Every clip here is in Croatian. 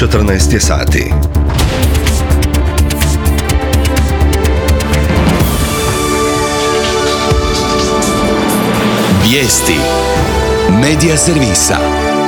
14 je sati. Vijesti Medija servisa.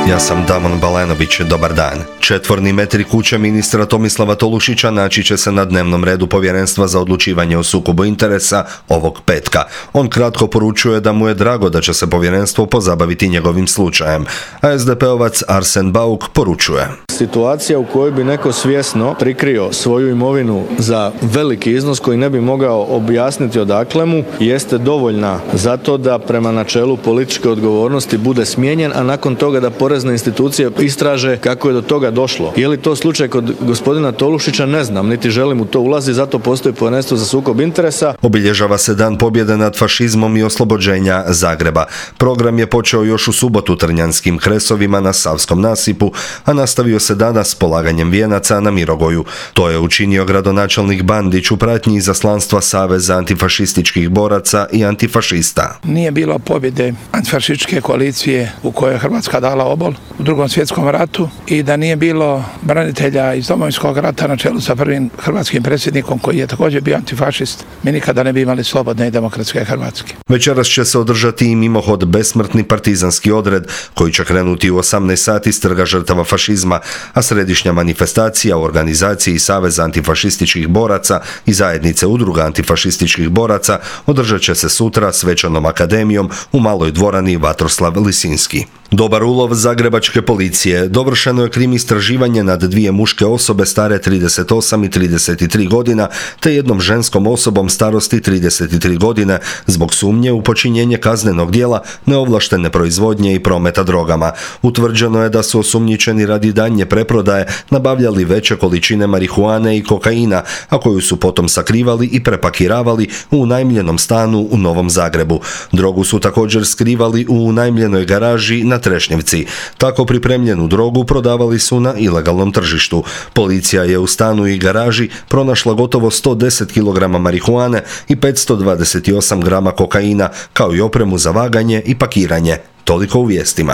Ja sam Damon Balenović, dobar dan. 4 metri kuće ministra Tomislava Tolušića naći će se na dnevnom redu Povjerenstva za odlučivanje o sukobu interesa ovog petka. On kratko poručuje da mu je drago da će se povjerenstvo pozabaviti njegovim slučajem, a SDP-ovac Arsen Bauk poručuje: situacija u kojoj bi neko svjesno prikrio svoju imovinu za veliki iznos koji ne bi mogao objasniti odakle mu, jeste dovoljna za to da prema načelu političke odgovornosti bude smijenjen, a nakon toga da porezne institucije istraže kako je do toga došlo. Je li to slučaj kod gospodina Tolušića, ne znam, niti želim u to ulaziti, zato postoji Povjerenstvo za sukob interesa. Obilježava se Dan pobjede nad fašizmom i oslobođenja Zagreba. Program je počeo još u subotu Trnjanskim Kresovima na Savskom nasipu, a nastavio se danas polaganjem vijenaca na Mirogoju. To je učinio gradonačelnik Bandić u pratnji izaslanstva Saveza antifašističkih boraca i antifašista. Nije bilo pobjede antifašističke koalicije u kojoj je Hrvatska dala obol u Drugom svjetskom ratu i da nije bilo branitelja iz Domovinskog rata na čelu sa prvim hrvatskim predsjednikom koji je također bio antifašist, mi nikada ne bi imali slobodne i demokratske Hrvatske. Večeras će se održati i mimohod besmrtni partizanski odred koji će krenuti u 18 sati s Trga žrtava fašizma, a središnja manifestacija u organizaciji Saveza antifašističkih boraca i zajednice udruga antifašističkih boraca održat će se sutra svečanom akademijom u maloj dvorani Vatroslav Lisinski. Dobar ulov zagrebačke policije. Dovršeno je krim istraživanje nad 2 muške osobe stare 38 i 33 godina te jednom ženskom osobom starosti 33 godine zbog sumnje u počinjenje kaznenog djela neovlaštene proizvodnje i prometa drogama. Utvrđeno je da su osumnjičeni radi daljnje preprodaje nabavljali veće količine marihuane i kokaina, a koju su potom sakrivali i prepakiravali u unajmljenom stanu u Novom Zagrebu. Drogu su također skrivali u unajmljenoj garaži na Trešnjevci. Tako pripremljenu drogu prodavali su na ilegalnom tržištu. Policija je u stanu i garaži pronašla gotovo 110 kg marihuane i 528 grama kokaina, kao i opremu za vaganje i pakiranje. Toliko u vijestima.